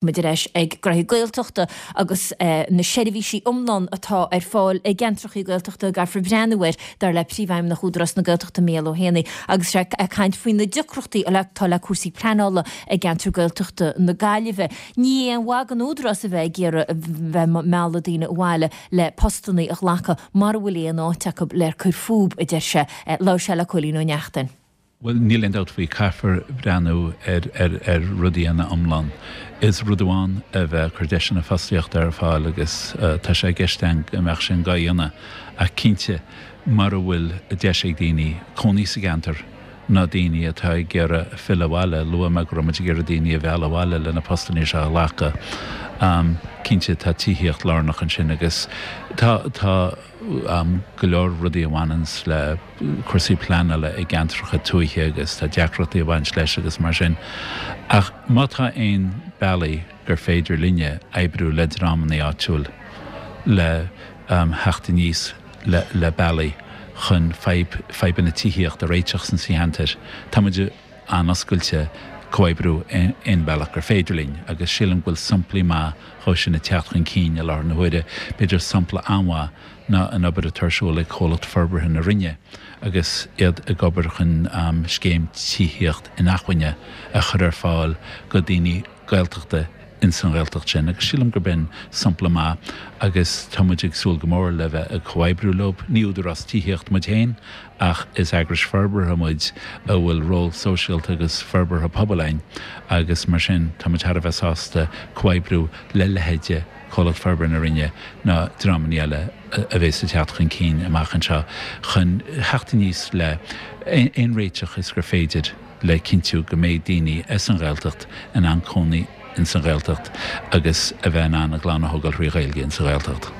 Muid ar ais ag Gnoithí Gaeltachta agus na seirbhísí iomlán atá ar fáil i gceantrachaí Gaeltachta a gcaithfear breathnú air, dar le Príomhfheidhmeannach Údarás na Gaeltachta Mícheál Ó hÉanaí, agus sé ag caint faoi na deacrachtaí atá le cúrsaí pleanála i gceantar Gaeltachta na Gaillimhe. Ní aon mhaith don Údarás a bheith ag iarraidh bheith ag mealladh daoine abhaile le postannaí a ghlacadh mara bhfuil aon áit acu le cur fúb, a deir sé. Labhair sé le Cóilín Ó Neachtain. Bhuel, níl aon dabht faoi, caithfear breathnú ar ar rudaí ina iomlán. Is rud amháin a bheith ag cur deiseanna fostaíochta ar fáil agus tá sé i gceist againn go mbeadh sin dhá dhéanamh ach cinnte mara bhfuil deis ag daoine cónaí sa gceantar ná daoine atá ag iarraidh filleadh abhaile, luaigh mé go raibh muid ag iarraidh daoine a mhealladh abhaile le na postanna seo a ghlacadh, cinnte tá tithíocht lárnach ansin agus tá tá go leor rudaí a bhaineanns le. cúrsaí pleanála i gceantracha tuaithe agus tá deacrachtaí ag baint leis agus mar sin. Ach má tá aon bealaí gur féidir linne oibriú le dreamanna áitiúil le theacht aníos le le bealaí chun fadhb fadhbanna tithíochta a réiteach sna ceantair, tá muid an-oscailte comhoibriú aon bealach gur féidir linn agus sílim go bhfuil samplaí maith dhó sin ag teacht chun cinn i láthair na huaire. B'fhéidir sampla an-mhaith ná an obair atá ar siúl ag Comhlacht Forbartha na Rinne agus iad ag obair chun scéim tithíocht inacmhainne a chur ar fáil go daoine Gaeltachta ins an Ghaeltacht sin agus sílim gurb in sampla maith agus tá muid ag súil go mór le bheith ag comhoibriú leo. Ní údarás tithíocht muid féin ach is eagrais forbartha muid a bhfuil ról sóisialta agus forbartha pobail againn agus mar sin tá muid thar a bheith sásta comhoibriú le leithéide Comhlacht Forbartha na Rinne ná dreamanna eile a bhéas ag teacht chun cinn amach anseo chun theacht aníos le aon réiteach is gur féidir le cinntiú go mbeidh daoine as an Ghaeltacht in ann cónaí ins an Ghaeltacht agus a bheith in ann a gclann a thógáil thrí Ghaeilge ins an Ghaeltacht.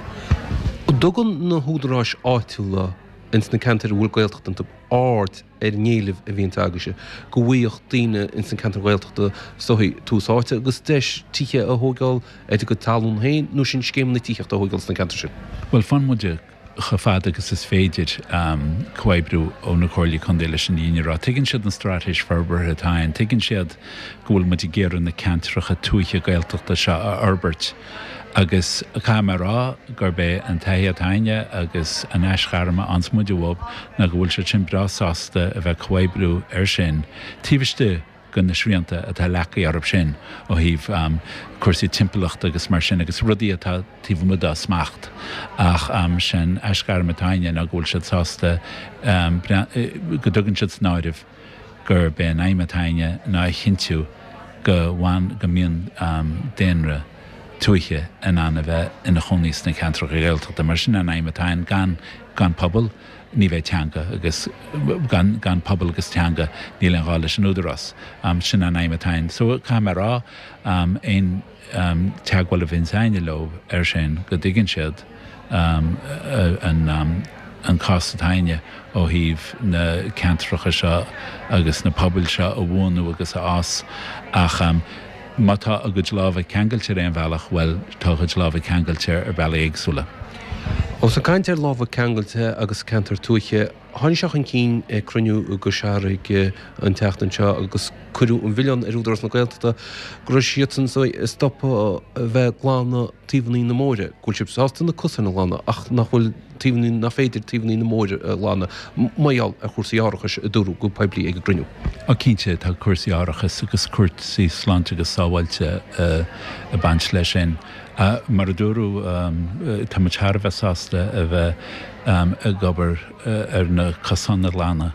An dtugann na húdaráis áitiúla ins na ceantair a bhfuil Gaeltacht iontu aird ar an éileamh a bhíonns agaibhse go bhfaigheadh daoine ins an ceantar Ghaeltachta is dóichí tús áite agus deis tithe a thóigeáil ar a gcuid talún féin nó sin scéimeanna tithíochta a thóigeáil sna ceantair sin? Bhuel, faigheann muid chomh fada agus is féidir comhoibriú ó na Comhairlí Contae leis an fhírinne a rá. Tuigeann siad an straitéis forbartha atá ann, tuigeann siad go bhfuil muid ag iarraidh na ceantracha tuaithe Gaeltachta seo a fhorbairt agus caithfidh mé a rá gurb é an taithí atá againne agus an aisghairm a fhaigheanns muid uathu ná go bhfuil siad sin breá sásta a bheith ag comhoibriú air sin taobh istigh de na srianta atá leagtha orthu sin ó thaobh cúrsaí timpeallachta agus mar sin agus rudaí atá taobh amuigh dá smacht. Ach sé'n aisghairm atá againne ná go bhfuil siad sásta go dtugann siad san áireamh gurb é an aidhm atá againne ná a chinntiú go bhfan, go mbíonn daonra tuaithe in ann a bheith ina chónaí sna ceantracha Gaeltachta mar sin an aidhm atá againn, gan, gan pobal ní bheidh teanga agus gan, gan pobal agus teanga níl aon ghá leis an Údarás. Sin an aidhm atá againn. So caithfidh mé a rá, aon. teagmháil a bhíonns a'inne leo air sin go dtuigeann siad an cás atá a'inne ó thaobh na ceantracha seo agus na pobail seo a bhuanú agus a fhás ach má tá a gcuid lámha ceangailte ar aon bhealach, bhuel, tá a gcuid lámha ceangailte ar bhealaí éagsúla. Ós ag caint ar lámha ceangailte agus ceantar tuaithe, Tháinig sé chun cinn ag cruinniú i gCois Fharraige an tseachtain seo agus cuireadh an mhilleán ar Údarás na Gaeltachta go raibh siadsan ag stopadh a bheith ag glanadh taobhanna na mbóithre, go bhfuil siad sásta na cosáin a ghlanadh ach nach bhfuil taobhanna, nach féidir taobhanna na mbóithre a ghlanadh mar gheall ar chúrsaí árachais a dúradh go poiblí ag an gcruinniú. Á cinnte, tá cúrsaí árachais agus cúrsaí sláinte agus sábháilte ag baint leis sin. Mar a dúradh, tá muid thar a bheith sásta a bheith ag obair ar na cosáin a ghlanadh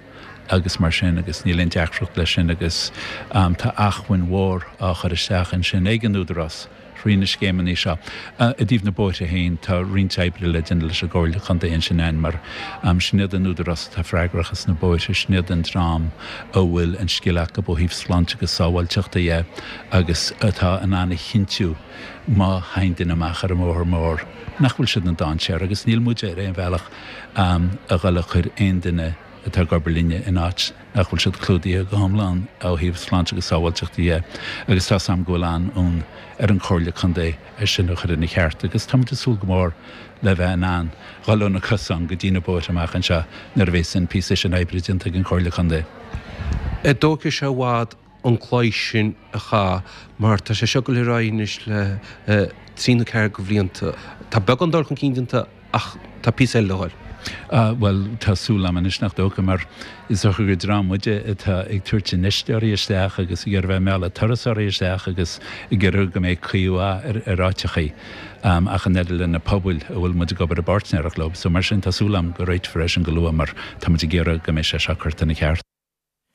agus mar sin agus níl aon deacracht leis sin agus tá acmhainn mhór á chur isteach ansin ag an Údarás thrí na scéimeanna seo. I dtaobh na bóithre féin, tá roinnt oibre le déanamh leis an gComhairle Contae ansin ann mar sin iad an údarás atá freagrach as na bóithre, sin iad an dream a bhfuil an scil acu ó thaobh sláinte agus sábháilteachta dhe agus atá in ann a chinntiú má théann duine amach ar an mbóthar mór, nach bhfuil siad in dainséar agus níl muide ar aon bhealach a dhul a chur aon duine atá ag obair linne in áit nach bhfuil siad clúdaithe go hiomlán ó thaobh sláinte agus sábháilteachta dhe agus tá 's a'm go bhfuil an-fhonn ar an Chomhairle Contae é sin a chur ina cheart agus táimid ag súil go mór le bheith in ann dhul ó na cosáin go dtí na bóithre amach anseo nuair a bhéas an píosa sin oibre déanta ag an Chomhairle Contae. An dtógfaidh sé i bhfad? an claí sin a chaitheamh mar tá sé seo ag dul ar aghaidh anois le trí nó ceathair de bhlianta. Tá beagán dul chun cinn déanta ach tá píosa eile le dhul. Bhuel, tá súil agam anois nach dócha, mar is dócha gur dream muide atá ag tabhairt infheisteoirí isteach agus ag iarraidh bheith ag mealladh turasóirí isteach agus ag iarraidh go mbeidh caoi mhaith ar áiteachaí ach an oiread le na pobail a bhfuil muid ag obair i bpáirtnéireacht leo. So mar sin tá súil agam go réiteofar é sin go luath mar tá muid ag iarraidh go mbeidh sé seo curtha ina cheart.